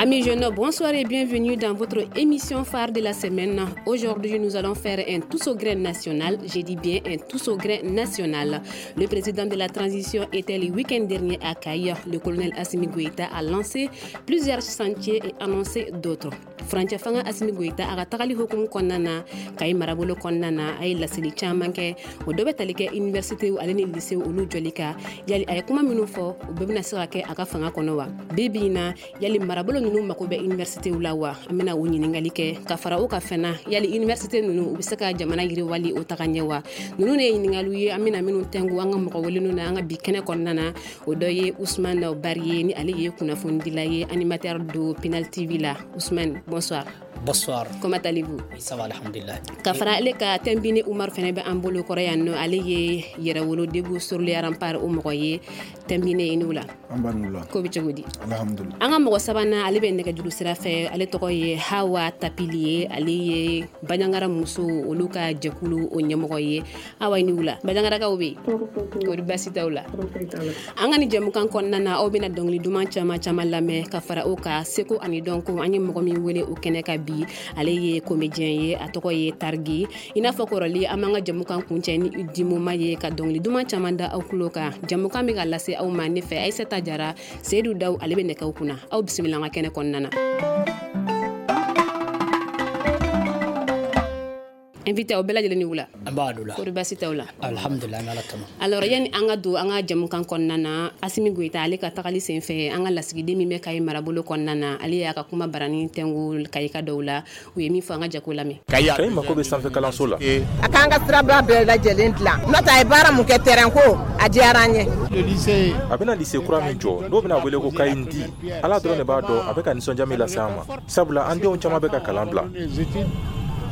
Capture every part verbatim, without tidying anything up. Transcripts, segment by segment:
Amis jeunes, bonsoir et bienvenue dans votre émission phare de la semaine. Aujourd'hui, nous allons faire un tous au grain national. J'ai dit bien un tous au grain national. Le président de la transition était le week-end dernier à Kayes. Le colonel Assimi Goïta a lancé plusieurs chantiers et annoncé d'autres. Furancɛ fanga Assimi Goïta a ka tagali hukumu kɔnɔna na Kayi marabolo kɔnɔna na, a ye laseli caman kɛ. O dɔ bɛ tali kɛ université ale ni lycée olu jɔli kan. Yali a ye kuma minnu fɔ, o bɛɛ bɛna se ka kɛ a ka fanga kɔnɔ wa? Bi bi in na, yali marabolo ninnu mako bɛ université la wa? An bɛna o ɲininkali kɛ ka fara o ka fɛn na. Yali université ninnu, u bɛ se ka jamana yiriwali o taga ɲɛ wa? Ninnu de ye ɲininkaliw ye an bɛna minnu tɛnku an ka mɔgɔ welenw na an ka bi kɛnɛ kɔnɔna na. O dɔ ye Ousmane Bari ye, ni ale ye kunnafonidila ye, animateur do Pinal T V la. Ousmane, bonsoir. Bonsoir. Comment allez-vous? Oui, ça va, alhamdulillah. Ka fara ale ka, Tembine Umar fɛnɛ bɛ an bolo kɔrɔ yan nɔ. Ale ye Yɛrɛwolo Debout sur les Remparts o mɔgɔ ye. Tembine, i n'u la. An b'a n'u la. Ko bɛ cogo di? Alhamdulillah. An ka mɔgɔ sabanan, ale bɛ nɛgɛjuru sira fɛ. Ale tɔgɔ ye Hawa Tapili ye. Ale ye Bandiagara muso olu ka jɛkulu o ɲɛmɔgɔ ye. Hawa, i n'u la. Bandiagarakaw bɛ yen? Kori baasi t'aw la? An ka nin jɛmukan kɔnɔna na, aw bɛna dɔnkili duman caman caman lamɛn ka fara o kan seko ani dɔnko. An ye mɔgɔ min wele o kɛnɛ ka bi, ale ye comédien ye, a tɔgɔ ye Targi. I n'a fɔ kɔrɔli, an b'an ka jɛmukan kuncɛ ni dimoma ye ka dɔnkili duman caman da aw tulo kan. Jɛmukan bɛ ka lase aw ma ne fɛ, Aïssata Jara. Seydou Daw, ale bɛ nɛgɛw kunna. Aw bisimila an ka kɛnɛ kɔnɔna na. Invité, aw bɛɛ lajɛlen ni wula. An b'a la. Kori baasi t'aw la? Alhamdulillah, an bɛ Ala tanu. Alors, yani an ka don an ka jɛmukan kɔnɔna na, Assimi Goïta ale ka tagali sen fɛ, an ka lasigiden min bɛ Kayi marabolo kɔnɔna na, ale y'a ka kuma barani tɛngu Kayika dɔw la. U ye min fɔ, an ka jɛ k'o lamɛn. Kayi mako bɛ sanfɛ kalanso la. A k'an ka siraba bɛɛ lajɛlen dilan, n'o tɛ a ye baara mun kɛ, terrain ko, a diyara an ye. A bɛna lycée kura min jɔ, n'o bɛna wele ko Kayi di, Ala dɔrɔn de b'a dɔn a bɛ ka nisɔndiya min lase an ma, sabula an denw caman bɛ ka kalan bila.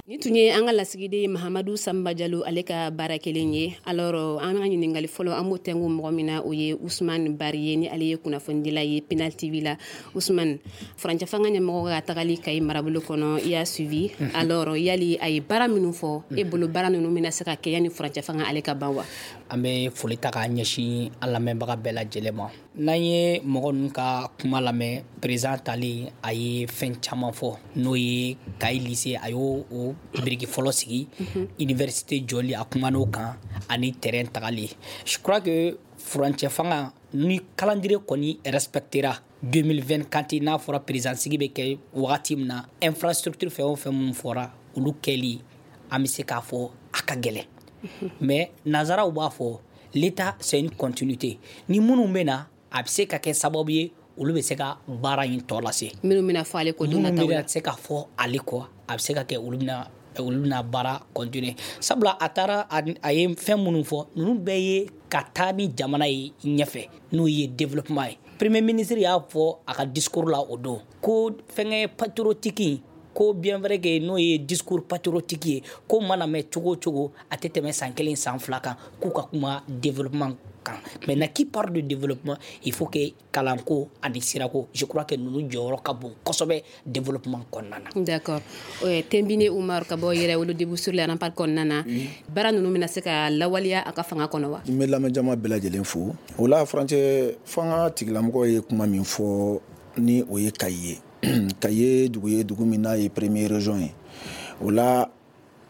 Ni tun ye an ka lasigiden Mahamadu Samba Jalo, ale ka baara kelen ye. Alors, an ka ɲininkali fɔlɔ, an b'o tɛnku mɔgɔ min na, o ye Ousmane Bari ye, ni ale ye kunnafonidila ye Pinal T V la. Ousmane, furancɛ fanga ɲɛmɔgɔ ka tagali Kayi marabolo kɔnɔ, i y'a suivi. Alors, yali a ye baara minnu fɔ, e bolo baara ninnu bɛna se ka kɛ yanni furancɛ fanga ale ka ban wa? An bɛ foli ta k'a ɲɛsin an lamɛnbaga bɛɛ lajɛlen ma. N'an ye mɔgɔ ninnu ka kuma lamɛn, président talen, a ye fɛn caman fɔ, n'o ye Kayi lycée, a y'o o biriki fɔlɔ sigi, université jɔli, a kuman'o kan, ani terrain tagali. Je crois que furancɛ fanga ni calendrier kɔni respectera deux mille vingt-quatre, n'a fɔra président sigi bɛ kɛ wagati min na, infrastructure fɛn o fɛn mun fɔra, olu kɛli, an bɛ se k'a fɔ a ka gɛlɛn. Mais nanzaraw b'a fɔ, l'état, c'est une continuité. Ni minnu bɛ na, a bɛ se ka kɛ sababu ye olu bɛ se ka baara in tɔ lase. Minnu bɛna fɔ ale kɔ don Minnu nataw la. Bɛna se ka fɔ ale kɔ, a bɛ se ka kɛ olu bɛna olu bɛna baara continuer, sabula a taara, a ye fɛn minnu fɔ, ninnu bɛɛ ye ka taa ni jamana ye ɲɛfɛ, n'o ye développement ye. Premier ministre y'a fɔ a ka discours la o don ko fɛnkɛ patriotique, ko bien vrai que n'o ye discours patriotique ye, ko mana mɛn cogo o cogo, a tɛ tɛmɛ san kelen, san fila kan, k'u ka kuma développement kan. Maintenant, qui parle de développement, il faut que kalanko ani sirako, je crois que ninnu jɔyɔrɔ ka bon kosɛbɛ développement kɔnɔna na. D'accord. Tembine Umar, ka bɔ Yɛrɛwolo Debout sur les Remparts kɔnɔna na, baara ninnu bɛna se ka lawaleya a ka fanga kɔnɔ wa? N bɛ lamɛnjama bɛɛ lajɛlen fo. O la, furancɛ fanga tigilamɔgɔ ye kuma min fɔ, ni o ye Kayi ye. Kayi ye dugu ye, dugu min n'a ye première région ye. O la,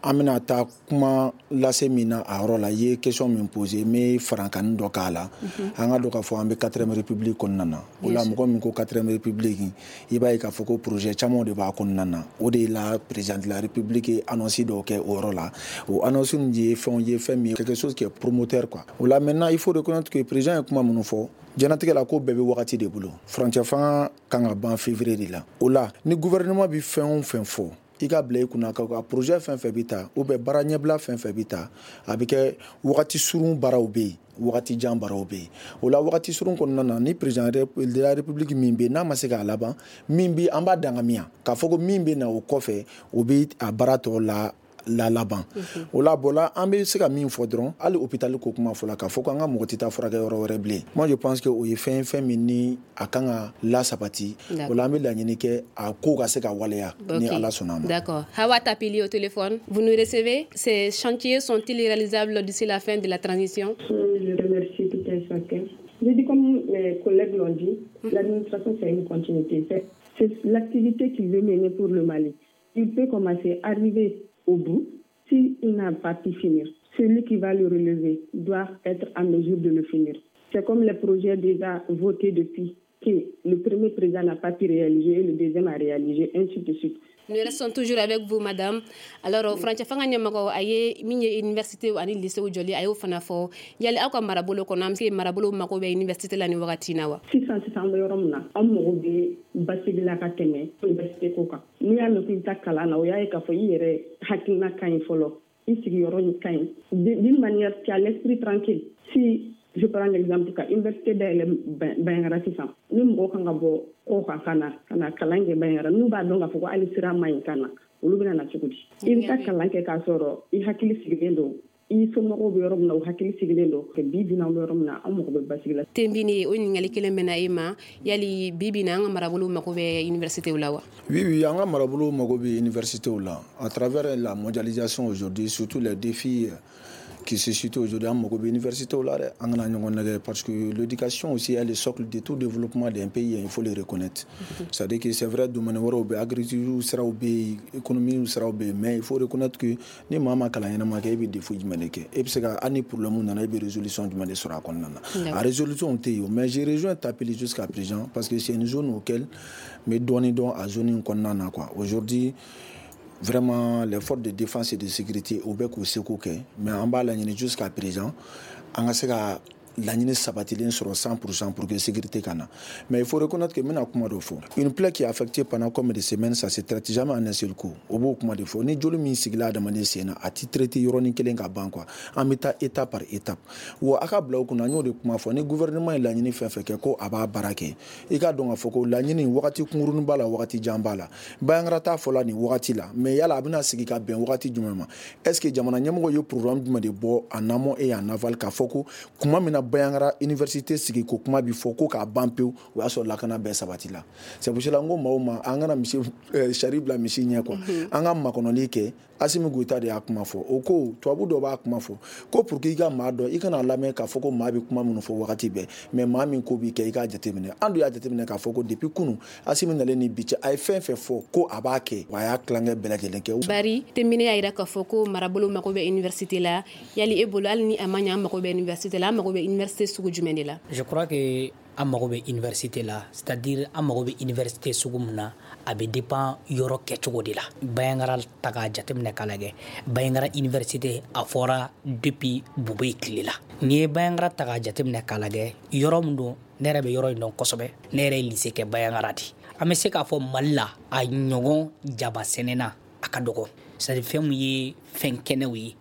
an bɛna taa kuma lase min na a yɔrɔ la, i ye question min posé, n bɛ farankanni dɔ k'a la. An ka dɔn k'a fɔ an bɛ quatrième république kɔnɔna na. O la, mɔgɔ min ko quatrième république, i b'a ye k'a fɔ ko projet caman de b'a kɔnɔna na. O de la, président de la République ye annonce dɔw kɛ o yɔrɔ la. O annonce ninnu ye fɛnw ye, fɛn min ye quelque chose qui est promoteur, quoi. O la, maintenant, il faut reconnaître que président ye kuma minnu fɔ, diɲɛlatigɛ la, ko bɛɛ bɛ wagati de bolo. Furancɛ fanga kan ka ban février de la. O la, ni gouvernement bɛ fɛn o fɛn fɔ, i ka bila i kunna ka projet fɛn fɛn bɛ ta, ou bien baara ɲɛbila fɛn fɛn bɛ ta, a bɛ kɛ wagati surun baaraw bɛ yen, wagati jan baaraw bɛ yen. O la, wagati surun kɔnɔna na, ni président de la République min bɛ yen, n'a ma se k'a laban, min bɛ an b'a dangamiya k'a fɔ ko min bɛ na o kɔfɛ, o bɛ a baara tɔ la la laban. O la bɔla, an bɛ se ka min fɔ dɔrɔn, hali hôpital ko kuma fɔla, k'a fɔ ko an ka mɔgɔ tɛ taa furakɛ yɔrɔ wɛrɛ bilen, moi je pense que o ye fɛn fɛn min ni a kan ka lasabati. O la, an bɛ laɲini kɛ a ko ka se ka waleya ni Ala sɔnna a ma. D'accord. Hawa Tapili au téléphone, vous nous recevez? Ces chantiers sont-ils réalisables d'ici la fin de la transition? Je remercie tout un chacun. J'ai dit, comme mes collègues l'ont dit, l'administration, c'est une continuité. C'est l'activité qu'il veut mener pour le Mali. Il peut commencer à arriver au bout s'il n'a pas pu finir. Celui qui va le relever doit être en mesure de le finir. C'est comme les projets déjà votés depuis que le premier président n'a pas pu réaliser et le deuxième a réalisé, ainsi de suite. Nous restons toujours avec vous, madame. Alors, furancɛ fanga ɲɛmɔgɔ a ye min ye université ani lycée jɔli, a y'o fana fɔ. Yali aw ka marabolo kɔnɔ, an bɛ se marabolo mako bɛ université la ni wagati in na wa? Sisan sisan, an bɛ yɔrɔ min na, an mago bɛ basigi la ka tɛmɛ université ko kan. N'i y'a mɛn k'i bɛ taa kalan na, o y'a ye k'a fɔ i yɛrɛ hakilina ka ɲi fɔlɔ, i sigiyɔrɔ ka ɲi, d'une manière tu as l'esprit tranquille. Si je prends l'exemple ka université dayɛlɛ Bandiagara sisan, ni mɔgɔ kan ka bɔ kɔ kan ka na ka na kalan kɛ Bandiagara, n'u b'a dɔn k'a fɔ ko hali sira man ɲi ka na, olu bɛna na cogo di? I bɛ taa kalan kɛ k'a sɔrɔ i hakili sigilen don, i somɔgɔw bɛ yɔrɔ min na, u hakili sigilen don. Bi bi in na, an bɛ yɔrɔ min na, an mago bɛ basigi la. Tenbini, o ɲininkali kelen bɛ na e ma. Yali bi bi in na, an ka marabolo mago bɛ université la wa? Oui, oui, an ka marabolo mago bɛ université la. À travers la mondialisation aujourd'hui, surtout les défis qui se situent aujourd'hui, an mago bɛ université la dɛ. An kana ɲɔgɔn nɛgɛ, parce que l'éducation aussi est le socle de tout développement d'un pays, il faut le reconnaître. C'est-à-dire que c'est vrai, domaine wɛrɛw bɛ, agriculture siraw bɛ yen, économie siraw bɛ yen, mais il faut reconnaître que ni maa ma kalan ɲɛnama kɛ, e bɛ défaut jumɛn de kɛ? E bɛ se ka hali ni problème nana, e bɛ résolution jumɛn de sɔrɔ a kɔnɔna na? A résolution tɛ yen. Mais je rejoins Tapili jusqu'à présent, parce que c'est une zone auquel n bɛ dɔɔnin dɔn a zone in kɔnɔna na, quoi. Aujourd'hui, vraiment, les forces de défense et de sécurité, u bɛ k'u seko kɛ, mais an b'a laɲini jusqu'à présent an ka se ka laɲini sabatilen sɔrɔ cent pour cent pour que sécurité ka na. Mais il faut reconnaître que n bɛna kuma dɔ fɔ: une plaie qui est affectée pendant combien de semaines, ça se traite jamais en un seul coup. O b'o kuma de fɔ. Ni joli min sigila adamaden sen na, a ti traiter yɔrɔnin kelen ka ban, quoi. An bɛ taa étape par étape. Wa a ka bila o kunna, an y'o de kuma fɔ, ni gouvernement ye laɲini fɛn fɛn kɛ ko a b'a baara kɛ, i k'a dɔn k'a fɔ ko laɲini wagati kunkurunin b'a la, wagati jan b'a la. Bandiagara t'a fɔla nin wagati la, mais yala a bɛna sigi ka bɛn wagati jumɛn ma? Est ce que jamana ɲɛmɔgɔ ye programme jumɛn de bɔ en amont et en aval k'a fɔ ko kuma min na Bandiagara université sigi ko kuma bi fɔ ko k'a ban pewu, o y'a sɔrɔ lakana bɛɛ sabati la? C'est pour cela n ko maaw ma, an kana misi sari bila misi ɲɛ, quoi. An ka makɔnɔli kɛ. Assimi Goïta de y'a kuma fɔ. O ko tubabu dɔ b'a kuma fɔ ko pour que i ka maa dɔn, i kana lamɛn k'a fɔ ko maa bɛ kuma minnu fɔ wagati bɛɛ, mais maa min ko b'i kɛ, i k'a jateminɛ. An dun y'a jateminɛ k'a fɔ ko depuis kunun Assimi nalen ni bi cɛ, a ye fɛn fɛn fɔ ko a b'a kɛ, wa a y'a tilankɛ bɛɛ lajɛlen kɛ. Bari Tenbine y'a yira k'a fɔ ko marabolo mago bɛ université la. Yali e bolo, hali ni a ma ɲɛ, an mago bɛ université la, an mago bɛ université sugu jumɛn de la? Je crois que an mago bɛ université la, c'est-à-dire an mago bɛ université sugu min na, a bɛ dépend yɔrɔ kɛcogo de la. Bandiagara ta k'a jateminɛ k'a lajɛ, Bandiagara université a fɔra depuis Boubèye tile la. N'i ye Bandiagara ta k'a jateminɛ k'a lajɛ, yɔrɔ min don, ne yɛrɛ bɛ yɔrɔ in dɔn kosɛbɛ. Ne yɛrɛ ye lycée kɛ Bandiagara de. An bɛ se k'a fɔ Mali la, a ɲɔgɔn jaba sɛnɛna a ka dɔgɔ, c'est à dire fɛn min ye fɛn kɛnɛw ye,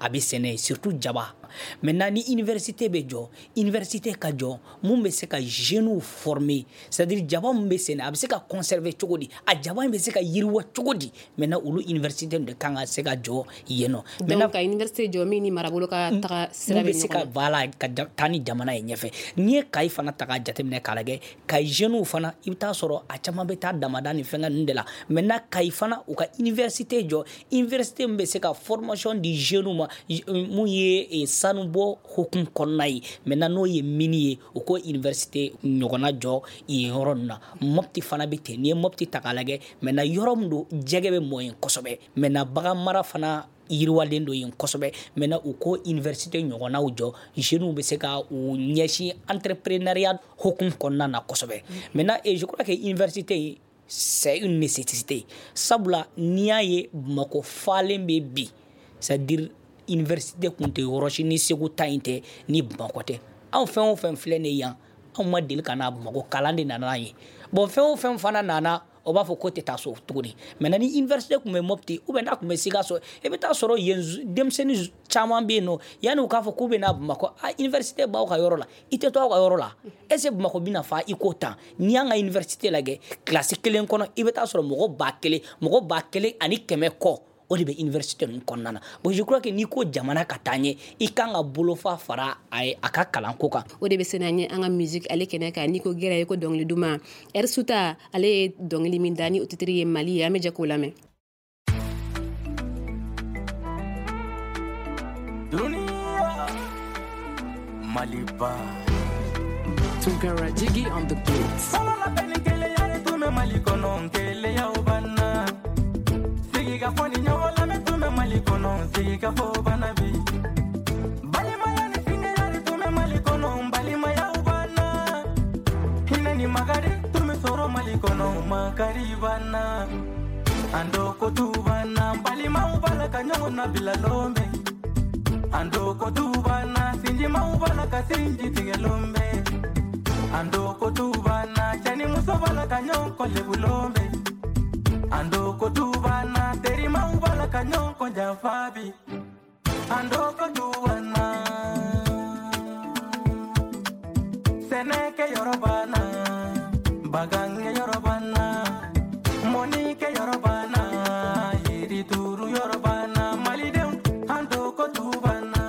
a bɛ sɛnɛ, surtout jaba. Maintenant, ni université bɛ jɔ, université ka jɔ mun bɛ se ka jeunes former, c'est à dire jaba mun bɛ sɛnɛ, a bɛ se ka conserver cogo di, a jaba in bɛ se ka yiriwa cogo di? Maintenant, olu université de kan ka se ka jɔ yen nɔ. Donc ka université jɔ min ni marabolo ka taga sira bɛ se ka, voilà, ka taa ni jamana ye ɲɛfɛ. N'i ye Kayi fana ta k'a jateminɛ k'a lajɛ, Kayi jeunes fana, i bɛ taa sɔrɔ a caman bɛ taa damada ni fɛngɛ ninnu de la. Maintenant, Kayi fana, u ka université jɔ, université min bɛ se ka formation di jeunes ma, mun ye sanubɔ hukumu kɔnɔna ye. Maintenant, n'o ye mine ye, u ko université ɲɔgɔnna jɔ yen yɔrɔ ninnu na. Mopti fana bɛ ten. N'i ye Mopti ta k'a lajɛ, maintenant, yɔrɔ min don, jɛgɛ bɛ mɔ yen kosɛbɛ. Maintenant, bagan mara fana yiriwalen don yen kosɛbɛ. Maintenant, u ko université ɲɔgɔnnaw jɔ, jeunes bɛ se ka u ɲɛsin entrepreneuriat hukumu kɔnɔna na kosɛbɛ. Maintenant, et je crois que université, c'est une nécessité, sabula n'i y'a ye Bamakɔ falen bɛ bi, c'est à dire université kun tɛ yɔrɔ si ni Segu ta in tɛ, ni Bamakɔ tɛ. Anw fɛn o fɛn filɛ nin ye yan, anw ma deli ka na Bamakɔ, kalan de nana an ye. Bon, fɛn o fɛn fana nana, o b'a fɔ ko tɛ taa so tuguni. Maintenant, ni université tun bɛ Mopti ou bien n'a tun bɛ Sikaso, i bɛ taa sɔrɔ yen denmisɛnnin caman bɛ yen nɔ, yanni u k'a fɔ k'u bɛ na Bamakɔ, a université b'aw ka yɔrɔ la, i tɛ to aw ka yɔrɔ la. Est ce que Bamakɔ bɛna fa i ko tan? N'i y'an ka université lajɛ, kilasi kelen kɔnɔ, i bɛ taa sɔrɔ mɔgɔ ba kelen, mɔgɔ ba kelen ani kɛmɛ kɔ, o de bɛ université ninnu kɔnɔna na. Bon, je crois que n'i ko jamana ka taa ɲɛ, i kan ka bolofa fara a ye a ka kalanko kan. O de bɛ se n'an ye an ka musique ale kɛnɛ kan. N'i ko gɛrɛ, i ko dɔnkili duman. Suta ale ye dɔnkili min da ni o titre ye Mali ye, an bɛ jɛ k'o lamɛn. Dunia Maliba. Tunkara Jiggy on the beat. bɛ Mali kɔnɔ keleyaw banna. Sigikafɔ ni ɲɔgɔn lamɛn tun bɛ Mali kɔnɔ sigikafɔ banna bi. Balimaya ni sinjiya de tun bɛ Mali kɔnɔ balimayaw banna. Hinɛ ni makari tun bɛ sɔrɔ Mali kɔnɔ makari banna. An dɔgɔtu banna balimaw b'a la ka ɲɔgɔn nabila lon bɛɛ. An dɔgɔtu banna sinjimaw b'a la ka sinji tigɛ lon bɛɛ. An dɔgɔtu banna cɛ ni muso b'a la ka ɲɔgɔn kɔlebu lon bɛɛ. An dɔgɔtu banna terimaw b'a la ka ɲɔgɔn kɔjanfa bi. An dɔgɔtu banna sɛnɛkɛyɔrɔ banna bagankɛyɔrɔ banna mɔnikɛyɔrɔ banna yirituru yɔrɔ banna malidenw an dɔgɔtu banna.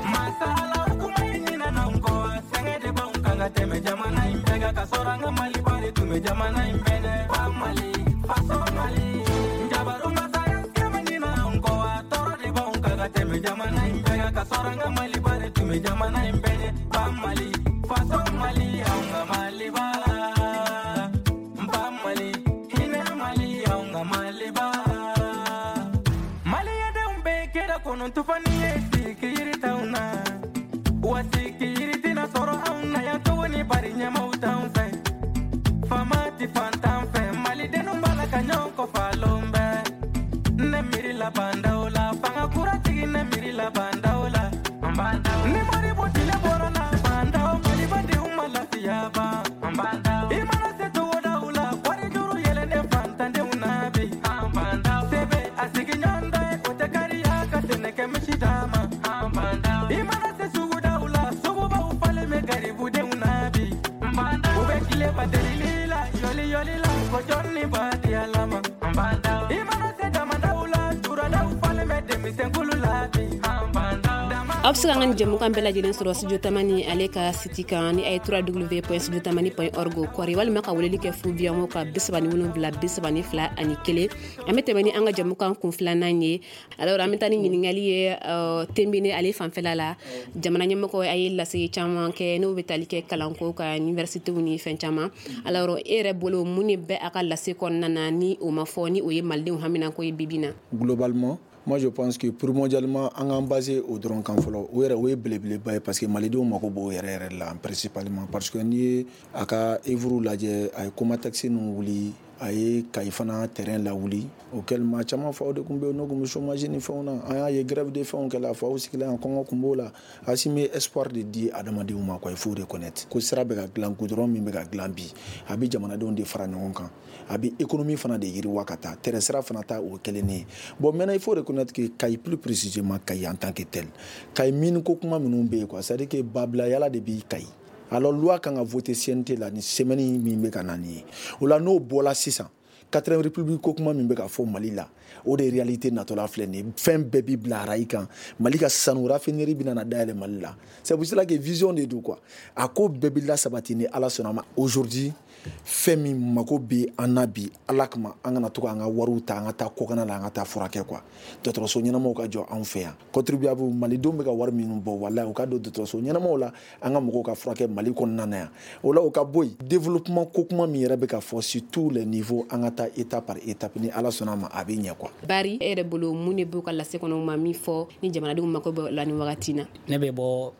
Masala kuma in ɲinana n kɔ sɛgɛn de b'anw kan ka tɛmɛ jamana in bɛɛ kan ka sɔrɔ an ka Maliba de tun bɛ jamana in bɛɛ dɛ. Ba Mali faso Mali jabaru masaya kɛmɛ ɲinana n kɔ a tɔɔrɔ de b'anw kan ka tɛmɛ jamana in bɛɛ kan ka sɔrɔ an ka Maliba de tun bɛ jamana in bɛɛ dɛ. Ba Mali faso Mali anw ka Maliba. Ba Mali hinɛ Mali anw ka Maliba. Maliyadenw bɛɛ kɛra kɔnɔ tufani ye sigi yiri t'anw na. Wa sigi yiri tɛna sɔrɔ anw na yan tuguni bari ɲɛmaw t'anw fɛ. Faama ti fantan fɛ malidenw b'a la ka ɲɔgɔn kɔfa lon bɛɛ. Ne miiri la bandaw la fanga kura tigi ne miiri la bandaw la. Ni Modibo tile bɔra na bandaw malibadenw ma lafiya ban. I mana se togodaw la wari juru yɛlɛnnen fantandenw na bi. Sebe a sigiɲɔgɔn dɔ ye o tɛ kariya ka sɛnɛkɛ misi d'a ma. I mana se sugudaw la sugubaw falen bɛ garibudenw na bi. U bɛ tile baterili la yɔli yɔli la ko jɔn ni ba di Ala ma. I mana se damadaw la turadaw falen bɛ denmisɛnkulu la bi. Aw bɛ se ka an ka jɛmukan bɛɛ lajɛlen sɔrɔ Studio Tamani ale ka site kan ni a ye w w w point studio tamani point org kɔri walima ka weleli kɛ fu biyanko ka bi saba ni wolonwula bi saba ni fila ani kelen. An bɛ tɛmɛ ni an ka jɛmukan kun filanan ye. Alors an bɛ taa ni ɲininkali ye Tembene ale fanfɛla la. Jamana ɲɛmɔgɔ a ye lasigi caman kɛ n'o bɛ tali kɛ kalanko ka universitéw ni fɛn caman. Alors e yɛrɛ bolo mun de bɛ a ka lase kɔnɔna na ni o ma fɔ ni o ye malidenw haminanko ye bi bi in na? Globalement, moi je pense que primordialement an k'an basé o dɔrɔn kan fɔlɔ. O yɛrɛ o ye belebeleba ye parce que malidenw mako b'o yɛrɛ yɛrɛ la principalement parce que n'i ye a ka œuvre lajɛ a ye Comatex ninnu wuli a ye Kayi fana terrain lawuli auquel maa caman faw de tun bɛ yen n'o tun bɛ chômage ni fɛnw na. An y'a ye grève de fɛnw kɛla faw sigila yan kɔngɔ tun b'o la. Assimi ye espoir de di adamadenw ma quoi, il faut reconnaître ko sira bɛ ka dilan goudron min bɛ ka dilan bi a bɛ jamanadenw de fara ɲɔgɔn kan a bɛ économie fana de yiriwa ka taa terrain sira fana ta o kelen ye. Bon maintenant il faut reconnaître que Kayi plus précisément Kayi en tant que tel Kayi mine ko kuma minnu bɛ yen quoi, c'est à dire que babila yala de b'i Kayi. Alors loi kan ka voter C N T la ni semaine min bɛ ka na nin ye o la n'o bɔra sisan quatrième république ko kuma min bɛ ka fɔ Mali la o de réalité natɔla filɛ nin ye. Fɛn bɛɛ bi bila rail kan Mali ka sanu raffinerie bɛna na dayɛlɛ Mali la. C'est pour cela que vision de don quoi, a ko bɛɛ bi lasabati ni Ala sɔnna ma. Aujourd'hui fɛn min mako bɛ an na bi Ala kama an kana to k'an ka wariw ta an ka taa kɔkanna la an ka taa furakɛ quoi. Dɔgɔtɔrɔso ɲɛnamaw ka jɔ anw fɛ yan contribuable malidenw bɛ ka wari minnu bɔ walahi u ka don dɔgɔtɔrɔso ɲɛnamaw la an ka mɔgɔw ka furakɛ Mali kɔnɔna na yan. O la o ka bɔ yen développement ko kuma min yɛrɛ bɛ ka fɔ sur tous les niveaux an ka taa étape par étape ni Ala sɔnna ma a bɛ ɲɛ quoi. Bari e yɛrɛ bolo mun de b'u ka lase kɔnɔ u ma min fɔ ni jamanadenw mako bɛ la nin wagati in na? Ne bɛ bɔ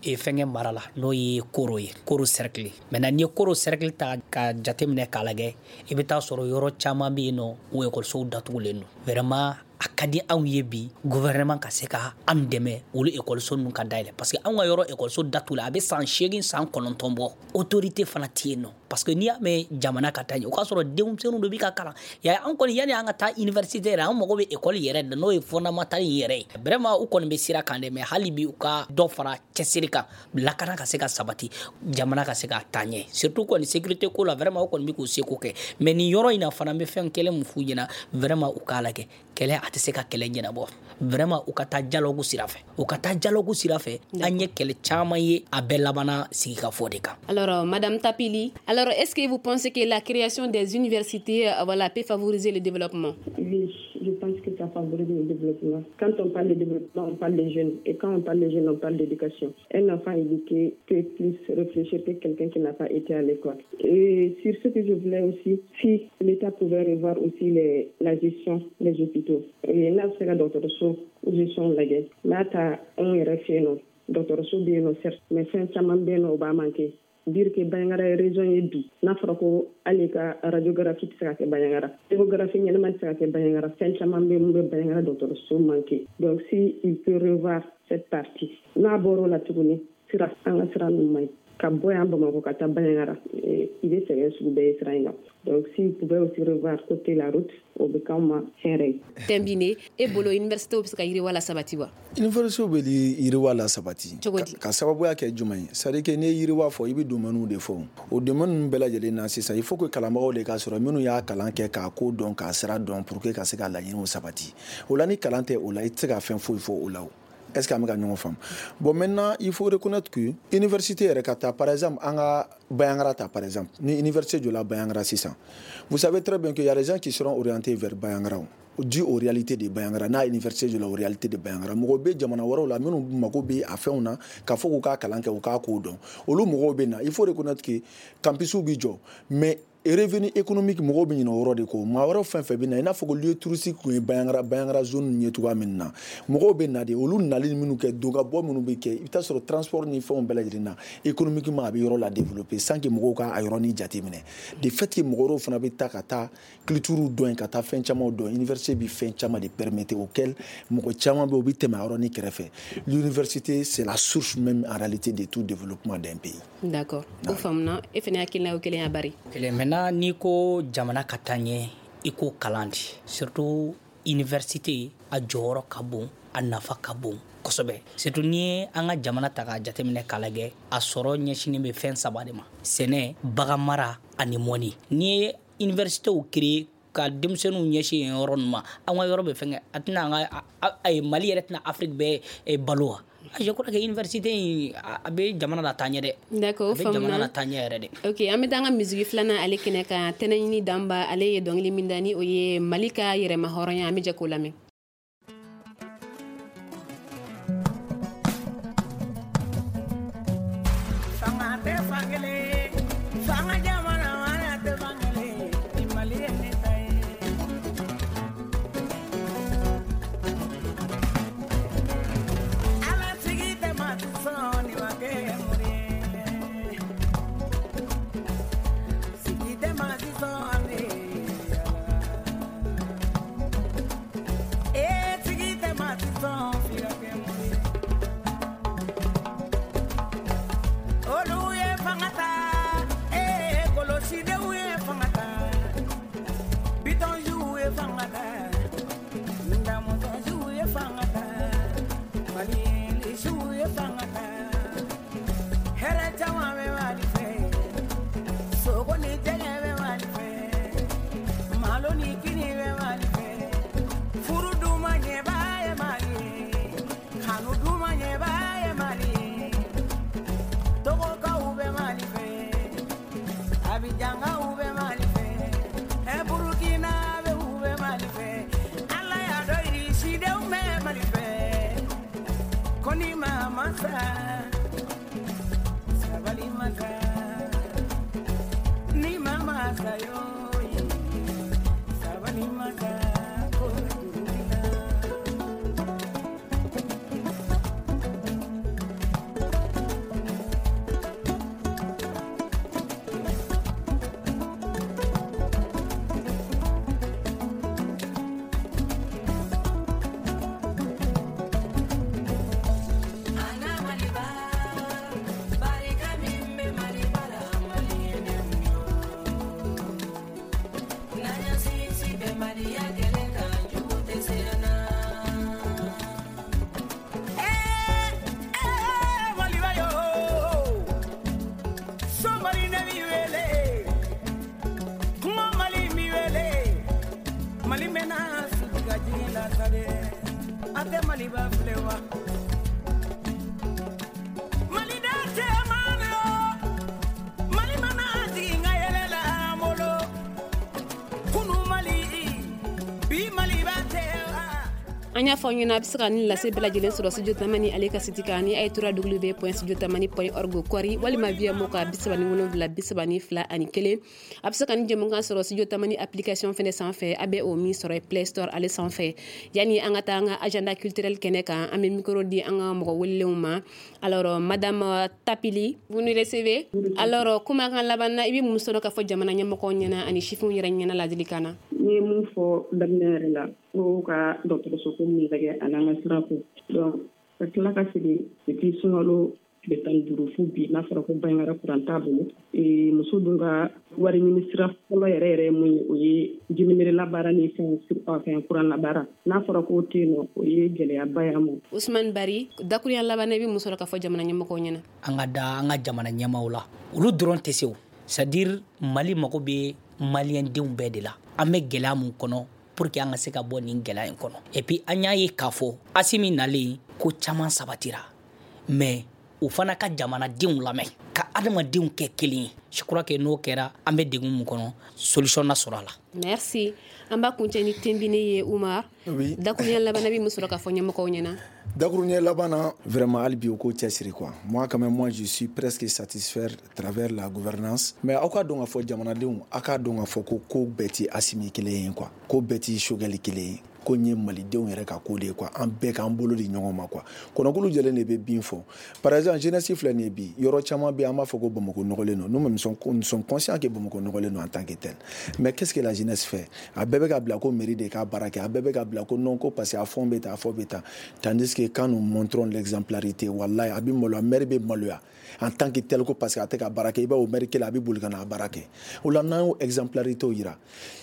fɛnkɛ mara la n'o ye Koro ye, Koro cercle. Maintenant n'i ye Koro cercle ta ka jateminɛ k'a lajɛ i bɛ taa sɔrɔ yɔrɔ caman bɛ yen nɔ o ekɔlisow datugulen don. Vraiment a ka di anw ye bi gouvernement ka se ka an dɛmɛ olu ekɔliso ninnu ka dayɛlɛ parce que anw ka yɔrɔ ekɔliso datugu la a bɛ san seegin san kɔnɔntɔn bɔ. Autorité fana tɛ yen nɔ parce que n'i y'a mɛn jamana ka taa ɲɛ o k'a sɔrɔ denmisɛnninw de bɛ ka kalan. Ya an kɔni yanni an ka taa université yɛrɛ an mago bɛ ekɔli yɛrɛ de n'o ye fondamental in yɛrɛ ye. Vraiment u kɔni bɛ sira kan dɛ mais hali bi u ka dɔ fara cɛsiri kan lakana ka se ka sabati jamana ka se ka taa ɲɛ surtout kɔni sécurité ko la vraiment u kɔni bɛ k'u seko kɛ mais nin yɔrɔ in na fana n bɛ fɛn kelen mun f'u ɲɛna vraiment u k'a lajɛ kɛlɛ a tɛ se ka kɛlɛ ɲɛnabɔ. Vraiment u ka taa dialogue sira fɛ u ka taa dialogue sira fɛ an ye kɛlɛ caman ye a bɛɛ labanna sigikafɔ de kan. Alors madame Tapili, alors est-ce que vous pensez que la création des universités euh, voilà, peut favoriser le développement? Oui, Je pense que ça favorise le développement. Quand on parle de développement, on parle des jeunes. Et quand on parle des jeunes, on parle d'éducation. Un enfant éduqué peut plus réfléchir que quelqu'un qui n'a pas été à l'école. Et sur ce que je voulais aussi, si l'État pouvait revoir aussi les, la gestion des hôpitaux. Et là, c'est la dɔgɔtɔrɔso gestion lajɛ. N'a ta anw yɛrɛ fɛ yen nɔ, dɔgɔtɔrɔso bɛ yen nɔ certes, mais fɛn caman bɛ yen nɔ o b'a manquer. Dire que Bandiagara ye région ye bi, n'a fɔra ko hali ka radiographie tɛ se ka kɛ Bandiagara, échographie ɲɛnama tɛ se ka kɛ Bandiagara, fɛn caman bɛ mun bɛ Bandiagara dɔgɔtɔrɔso manquer. Donc si il peut revoir cette partie. N'a bɔr'o la tuguni, sira an ka sira ninnu man ɲi. Ka bɔ yan Bamakɔ ka taa Bandiagara, i bɛ sɛgɛn sugu bɛɛ ye sira in kan. Donc s'il pouvait aussi revoir côté la route, o bɛ k'anw ma hɛrɛ ye. Tɛnbine, e bolo université bɛ se ka yiriwa la sabati wa? Université bɛ yiriwa la sabati. Cogo di? Ka sababuya kɛ jumɛn ye? C'est à dire que n'i ye yiriwa fɔ, i bɛ domaine de fɔ. O domaine ninnu bɛɛ lajɛlen na sisan, il faut que kalanbagaw de ka sɔrɔ minnu y'a kalan kɛ k'a ko dɔn, k'a sira dɔn pour que ka se ka laɲiniw sabati. O la ni kalan tɛ o la, i tɛ se ka fɛn foyi fɔ o la o. Est-ce qu'an bɛ ka ɲɔgɔn faamu? Bon, maintenant, il faut reconnaître que université yɛrɛ ka taa, par exemple, an ka Bandiagara ta, par exemple, ni université jɔla Bandiagara sisan, vous savez très bien qu'il y a des gens qui seront orientés vers Bandiagara dû aux réalités de Bandiagara. N'a université jɔla aux réalités de Bandiagara, mɔgɔ bɛ jamana wɛrɛw la minnu mago bɛ a fɛnw na k'a fɔ k'u k'a kalan kɛ, u k'a ko dɔn, olu mɔgɔw bɛ na. Il faut reconnaître que campus bɛ jɔ, mais revenu économique mɔgɔw bɛ ɲinɛ o yɔrɔ de kɔ. Maa wɛrɛw fɛn fɛn bɛ na, i n'a fɔ ko lieu touristique kun ye Bandiagara Bandiagara zone ye cogoya min na, mɔgɔw bɛ na de, olu nali minnu kɛ, don ka bɔ minnu bɛ kɛ, i bɛ taa sɔrɔ transport ni fɛnw bɛɛ lajɛlen na, économiquement a bɛ yɔrɔ la développer sans que mɔgɔw ka a yɔrɔnin jateminɛ. De fait que mɔgɔ wɛrɛw fana bɛ taa ka taa culture dɔn, ka taa fɛn camanw dɔn. Université bɛ fɛn caman de permettre auquel mɔgɔ caman bɛ yen, u bɛ tɛmɛ a yɔrɔnin kɛrɛfɛ. L'université, c'est la source même en réalité de tout développement d'un pays. D'accord, o faamuna. E fana hakilina ye kelen ya bari? Kelen. Maintenant, n'i ko jamana ka taa ɲɛ, i ko kalan de, surtout université, a jɔyɔrɔ ka bon, a nafa ka bon kosɛbɛ. Surtout n'i ye an ka jamana ta k'a jateminɛ k'a lajɛ, a sɔrɔ ɲɛsinnen bɛ fɛn saba de ma: sɛnɛ, bagan mara ani mɔni. N'i ye universitéw créer ka denmisɛnninw ɲɛsin yen yɔrɔ ninnu ma, an ka yɔrɔ bɛ fɛn kɛ, a tɛna an ka Mali yɛrɛ tɛna Afrique bɛɛ balo wa? Je crois que université in a bɛ jamana la taa ɲɛ dɛ. D'accord, a bɛ jamana la taa ɲɛ yɛrɛ de. Ok, an bɛ taa an ka musique filanan ale kɛnɛ kan. Tɛnɛɲini Danba, ale ye dɔnkili min da ni o ye Mali ka yɛrɛma hɔrɔnya, an bɛ jɛ k'o lamɛn. Fanga tɛ fankelen, fanga jamana mara tɛ fankelen, ni Mali ye ne ta ye. Bi Mali ba tɛ. An y'a fɔ aw ɲɛna a bɛ se ka nin lase bɛɛ lajɛlen sɔrɔ Studio Tamani ale ka site kan ni a ye w w w point studio tamani point org kɔri walima V M O ka bi saba ni wolonwula bi saba ni fila ani kelen. A bɛ se ka nin jɛmukan sɔrɔ Studio Tamani application fɛnɛ sanfɛ, a bɛ o min sɔrɔ Play Store ale sanfɛ. Yani an ka taa an ka agenda culturel kɛnɛ kan, an bɛ micro di an ka mɔgɔ welelenw ma. Alors madame Tapili, vous nous recevez? Alors kumakan laban na, i bɛ mun sɔrɔ k'a fɔ jamana ɲɛmɔgɔw ɲɛna ani sifinw yɛrɛ ɲɛna ladilikan na? N ye mun fɔ daminɛ yɛrɛ la, ko ka dɔgɔtɔrɔso ko min lajɛ ani an ka sira ko. Donc ka tila ka segin depuis sunkalo tile tan ni duuru fo bi, n'a fɔra ko Banjagara kuran t'a bolo. Muso dun ka wari ɲini sira fɔlɔ yɛrɛ yɛrɛ ye mun ye, o ye jinimere labaara ni fɛn fɛn kuran labaara. N'a fɔra k'o tɛ yen nɔ, o ye gɛlɛyaba ye an ma. Usumani Bari, dakurunya laban na, i bɛ mun sɔrɔ k'a fɔ jamana ɲɛmɔgɔw ɲɛna? An ka da an ka jamana ɲɛmaaw la, olu dɔrɔn tɛ se o. C'est à dire Mali mago bɛ maliyɛndenw bɛɛ de la. An bɛ gɛlɛya mun kɔnɔ pour que an ka se ka bɔ nin gɛlɛya in kɔnɔ. Et puis an y'a ye k'a fɔ Asimi nalen ko caman sabatira, mais o fana ka jamanadenw lamɛn ka adamadenw kɛ kelen ye. Je crois que n'o kɛra, an bɛ degun mun kɔnɔ, solution na sɔrɔ a la. Merci. An b'a kuncɛ ni Tenbine ye, Umar. Oui. Dakurunya laban na, bɛ mun sɔrɔ k'a fɔ ɲɛmɔgɔw ɲɛna? Dakurunya laban na, vraiment hali bi u k'o cɛsiri quoi. Moi quand même, moi je suis presque satisfait à travers la gouvernance. Mais aw ka dɔn k'a fɔ jamanadenw, aw k'a dɔn k'a fɔ ko ko bɛɛ ti Asimi kelen ye quoi. Ko bɛɛ ti Choguel kelen ye. Ko n ye malidenw yɛrɛ ka ko de ye quoi. An bɛɛ k'an bolo di ɲɔgɔn ma quoi. Kɔnɔkulu jɛlen de bɛ bin fɔ. Par exemple, jeunesse filɛ nin ye bi, yɔrɔ caman bɛ yen an b'a fɔ ko Bamakɔ nɔgɔlen don. Nous-mêmes nous sommes conscients que Bamakɔ nɔgɔlen don en tant que tel. Mais qu'est-ce que la jeunesse fait? A bɛɛ bɛ ka bila ko mairie de k'a baara kɛ, a bɛɛ bɛ ka bila ko non ko parce que a fɛn bɛ tan, a fɔ bɛ tan. Tandis que quand nous montrons l'exemplarité, wallahi a bɛ maloya, maire bɛ maloya en tant que tel ko parce que a tɛ ka baara kɛ, i b'a ye o maire kelen a bɛ boli ka na a baara kɛ. O la n'an y'o exemplarité yira,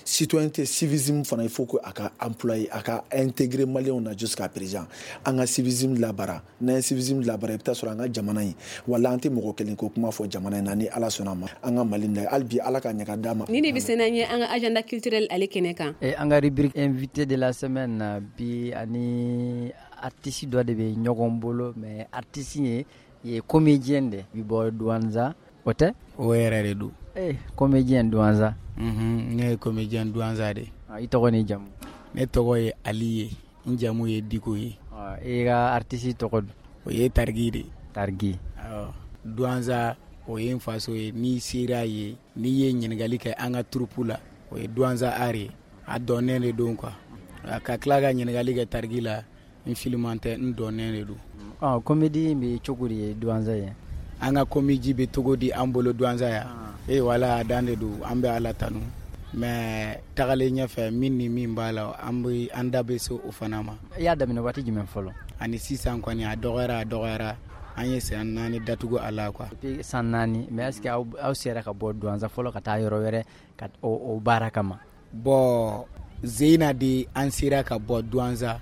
citoyenneté, civisme fana, il faut que a ka employer, a ka intégrer maliyɛnw na jusqu'à présent. An ka civisme labaara, n'an ye civisme labaara, i bɛ taa sɔrɔ an ka jamana in, wala an tɛ mɔgɔ kelen ko kuma fɔ jamana in na, ni Ala sɔnna a ma, an ka Mali in hali bi Ala ka ɲɛ ka d'a ma. Ni de bɛ se n'an ye an ka agenda culturel ale kɛnɛ kan. An ka rubrique invité de la semaine bi, ani artiste dɔ de bɛ ɲɔgɔn bolo, mais artiste ye ye comédien de bi bɔ Douentza, o tɛ? O yɛrɛ de don. Eh, comédien Douentza. Mhm, ne ye comédien Douentza de. I tɔgɔ ni jamu? Ne tɔgɔ ye Ali ye, n jamu ye Diko ye. I ka artiste tɔgɔ dun? O ye Tariki de. Tariki. Awɔ. Douentza o ye n faso ye, n'i sera ye, n'i ye ɲininkali kɛ an ka troupe la, o ye Douentza art ye. A dɔnnen de don quoi. Ka tila ka ɲininkali kɛ Tariki la, n filiman tɛ, n dɔnnen de don. Ɔ, comédie in bɛ cogo di ye Douentza ye? An ka comédie bɛ cogo di an bolo Douentza ya? Eh wala a dan de don, an bɛ Ala tanu. Mais tagalen ɲɛfɛ, min ni min b'a la, an bɛ an da bɛ se o fana ma. I y'a daminɛ waati jumɛn fɔlɔ? Ani sisan kɔni a dɔgɔyara a dɔgɔyara, an ye san naani datugu a la quoi. Depuis san naani, mais est ce que aw aw sera ka bɔ Douentza fɔlɔ ka taa yɔrɔ wɛrɛ ka o o baara kama? Bon, Zeyina de an sera ka bɔ Douentza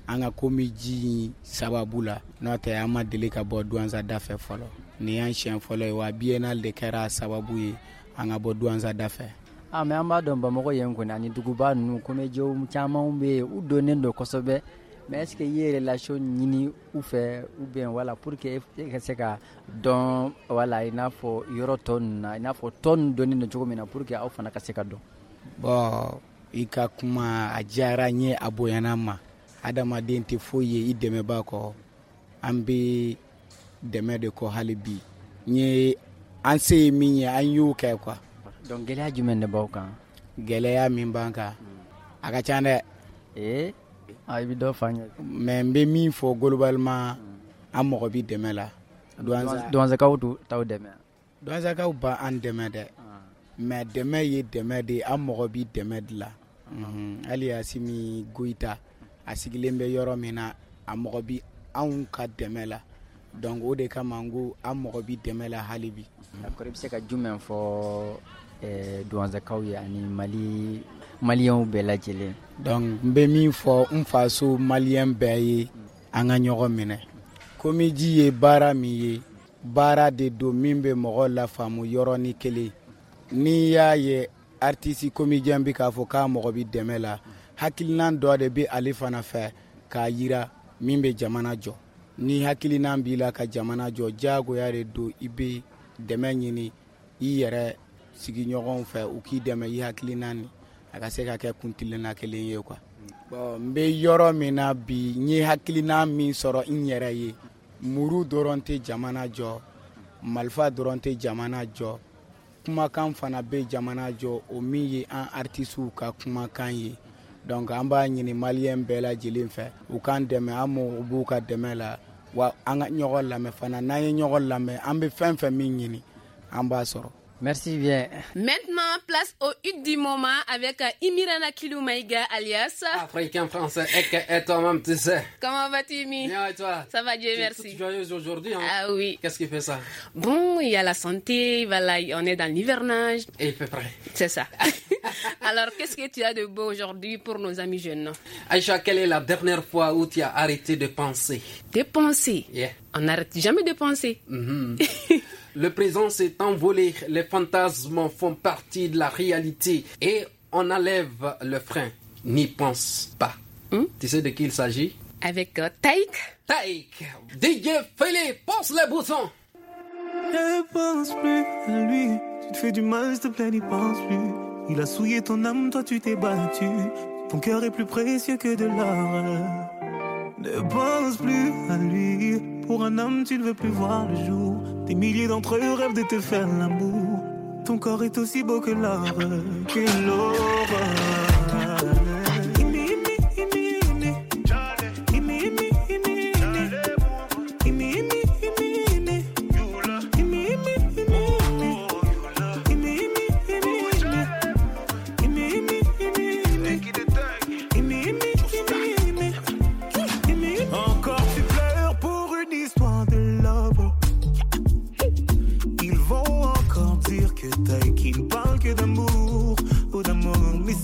an ka comédie sababu la, n'o tɛ an ma deli ka bɔ Douentza da fɛ fɔlɔ. Nin y'an siɲɛ fɔlɔ ye, wa biennale de kɛra a sababu ye an ka bɔ Douentza da fɛ. Ah, mais an b'a dɔn Bamakɔ yen kɔni ani duguba ninnu comédien caman bɛ yen, u donnen don kosɛbɛ. Mais est ce que i ye relation ɲini u fɛ ou bien voilà pour que e ka se ka dɔn, voilà i n'a fɔ yɔrɔ tɔ ninnu na, i n'a fɔ tɔ ninnu donnen don cogo min na pour que aw fana ka se ka dɔn? Bon, i ka kuma a diyara n ye, a bonyana n ma. Adamaden tɛ foyi ye i dɛmɛba kɔ. An bɛ dɛmɛ de kɔ hali bi. N ye an se ye min ye, an y'o kɛ quoi. Donc gɛlɛya jumɛn de b'aw kan? Gɛlɛya min b'an kan, a ka ca dɛ. Ee, a i bɛ dɔ fɔ an ye. Mais n bɛ min fɔ globalement, an mago bɛ dɛmɛ la. Douentzakaw t'aw dɛmɛ? Douentzakaw b'an dɛmɛ dɛ. Mais dɛmɛ ye dɛmɛ de ye, an mago bɛ dɛmɛ de la. Hali Asimi Goyita, a sigilen bɛ yɔrɔ min na, a mago bɛ anw ka dɛmɛ la. Donc o de kama n ko an mago bɛ dɛmɛ la hali bi. D'accord, i bɛ se ka jumɛn fɔ Douentzakaw ye ani Mali maliyɛnw bɛɛ lajɛlen? Donc n bɛ min fɔ n faso maliyɛn bɛɛ ye, an ka ɲɔgɔn minɛ. Comédie ye baara min ye, baara de don min bɛ mɔgɔ lafaamu yɔrɔnin kelen. N'i y'a ye artiste comédien bɛ k'a fɔ k'a mago bɛ dɛmɛ la, hakilina dɔ de bɛ ale fana fɛ k'a yira min bɛ jamana jɔ. Ni hakilina b'i la ka jamana jɔ, diyagoya de don i bɛ dɛmɛ ɲini i yɛrɛ sigiɲɔgɔnw fɛ, u k'i dɛmɛ i hakilina ni a ka se ka kɛ kuntilenna kelen ye quoi. Bon, n bɛ yɔrɔ min na bi, n ye hakilina min sɔrɔ n yɛrɛ ye, muru dɔrɔn tɛ jamana jɔ, marifa dɔrɔn tɛ jamana jɔ, kumakan fana bɛ jamana jɔ, o min ye an artisiw ka kumakan ye. Donc an b'a ɲini maliyɛn bɛɛ lajɛlen fɛ, u k'an dɛmɛ, an mago b'u ka dɛmɛ la, wa an ka ɲɔgɔn lamɛn fana. N'an ye ɲɔgɔn lamɛn, an bɛ fɛn fɛn min ɲini, an b'a sɔrɔ. Merci bien. Maintenant, place au hit du moment avec Imirana Kilou Maïga alias Africain français et, et toi-même, tu sais. Comment vas-tu, Imi? Bien, et toi? Ça va, Dieu tu merci. Es toute joyeuse aujourd'hui, hein? Ah oui. Qu'est-ce qui fait ça? Bon, il y a la santé, voilà, on est dans l'hivernage. Et il fait frais. C'est ça. Alors, qu'est-ce que tu as de beau aujourd'hui pour nos amis jeunes? Aïcha, quelle est la dernière fois où tu as arrêté de penser? De penser? Yeah. On n'arrête jamais de penser. Mm-hmm. Le présent s'est envolé, les fantasmes font partie de la réalité et on enlève le frein. N'y pense pas. Hmm? Tu sais de qui il s'agit? Avec euh, Taïk. Taïk. D J Philippe, pousse les boutons. Ne pense plus à lui. Tu te fais du mal, s'il te plaît, n'y pense plus. Il a souillé ton âme, toi tu t'es battu. Ton cœur est plus précieux que de l'or. Ne pense plus à lui. Pour un homme, tu ne veux plus voir le jour. Des milliers d'entre eux rêvent de te faire l'amour. Ton corps est aussi beau que l'or, que l'or.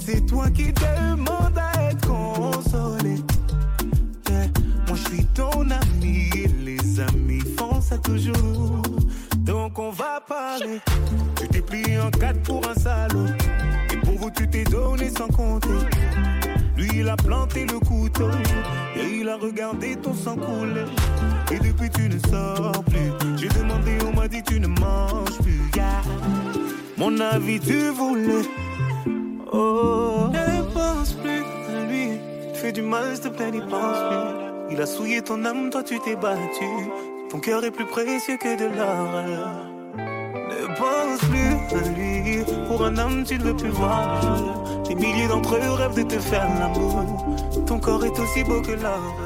C'est toi qui demande à être consolé. Yeah. Moi je suis ton ami et les amis font ça toujours. Donc on va parler. Tu t'es plié en quatre pour un salaud. Et pour vous tu t'es donné sans compter. Lui il a planté le couteau et il a regardé ton sang couler. Et depuis tu ne sors plus. J'ai demandé, on m'a dit tu ne manges plus. Yeah. Mon avis tu voulais. Oh, ne pense plus à lui. Tu fais du mal, s'il te plaît, n'y pense plus. Il a souillé ton âme, toi tu t'es battu. Ton cœur est plus précieux que de l'or. Ne pense plus à lui. Pour un homme, tu ne veux plus voir le jour. Des milliers d'entre eux rêvent de te faire l'amour. Ton corps est aussi beau que l'or.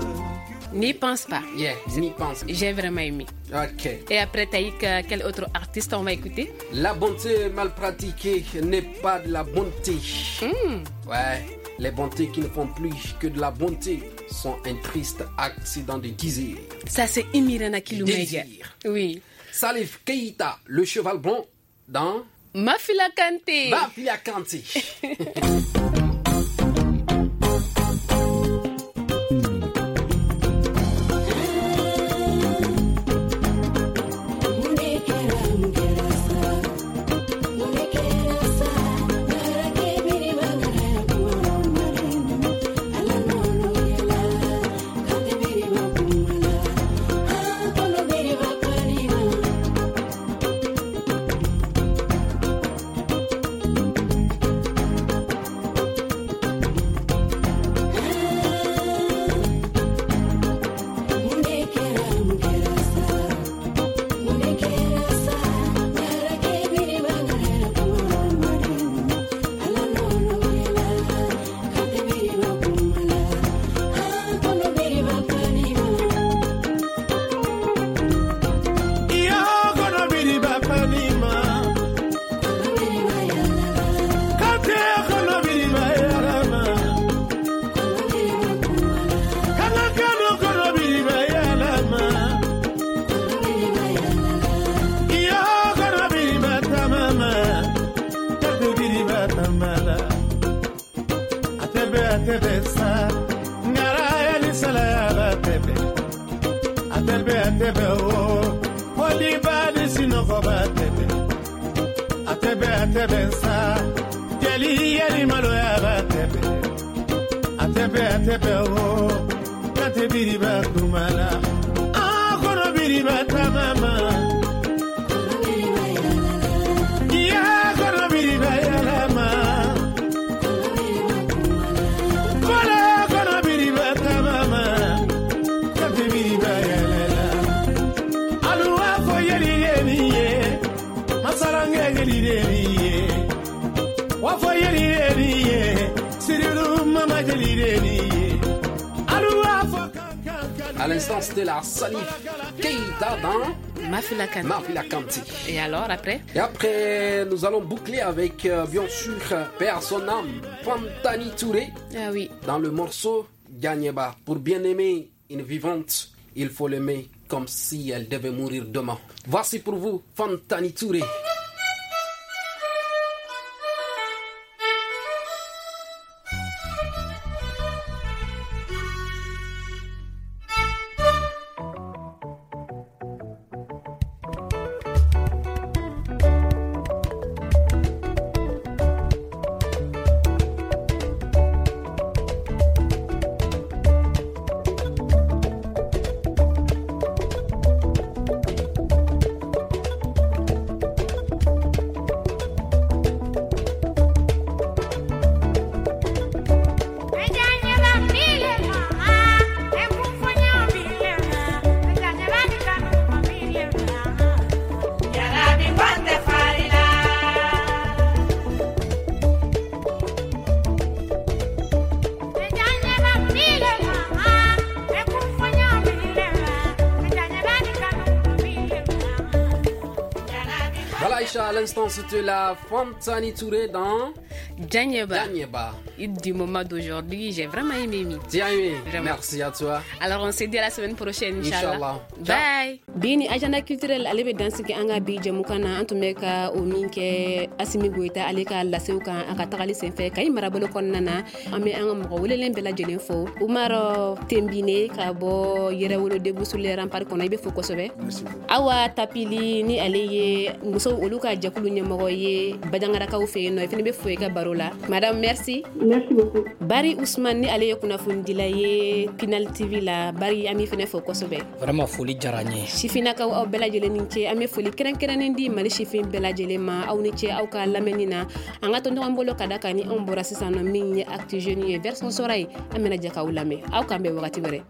N'y pense pas. Yeah, n'y pense. J'ai vraiment aimé. Ok. Et après Taïk, quel autre artiste on va écouter? La bonté mal pratiquée n'est pas de la bonté. Mm. Ouais, les bontés qui ne font plus que de la bonté sont un triste accident de désir. Ça, c'est Imirana Kilou Maïga. Oui. Salif Keita, le cheval blanc dans Mafila Kanté. Mafila Kanté. Kono À l'instant, c'était la Salif Keita dans Mafila Kanté. Mafila Kanté. Et alors, après? Et après, nous allons boucler avec, euh, bien sûr, Père son âme, Fantani Touré. Ah oui. Dans le morceau Gagneba. Pour bien aimer une vivante, il faut l'aimer comme si elle devait mourir demain. Voici pour vous Fantani Touré. À l'instant, c'était la Fantani Touré dans Djanyeba. Djanyeba. Du moment d'aujourd'hui, j'ai vraiment aimé. Tu as aimé? Merci à toi. Alors, on se dit à la semaine prochaine, Inch'Allah. Bye. Bi ni agenda culturel ale bɛ dansigi an ka bi jɛmukan na. An tun bɛ ka o min kɛ Asimi Goyita ale ka lasew kan a ka tagali senfɛ Kayi marabolo kɔnɔna na. An bɛ an ka mɔgɔ welelen bɛɛ lajɛlen fo. Umar Tembine ka bɔ Yɛrɛwolo Debout sur les remparts kɔnɔ, i bɛ fo kosɛbɛ. Awa Tapili ni ale ye musow olu ka jɛkulu ɲɛmɔgɔ ye Bajangarakaw fɛ yen nɔ, i fana bɛ fo i ka baro la. Madame, merci. Merci beaucoup. Bari Ousmane ni ale ye kunnafonidila ye Pinal T V la. Bari, an b'i fana fo kosɛbɛ. Vraiment foli diyara n ye. Sifinnakaw, aw bɛɛ lajɛlen ni ce. An bɛ foli kɛrɛnkɛrɛnnen di Mali sifin bɛɛ lajɛlen ma. Aw ni ce aw ka lamɛnni na. An ka to ɲɔgɔn bolo ka da kan ni anw bɔra sisan nɔ min ye Actu Jeunes ye version sɔrɔ ye, an bɛna jɛ k'aw lamɛn. Aw k'an bɛn wagati wɛrɛ.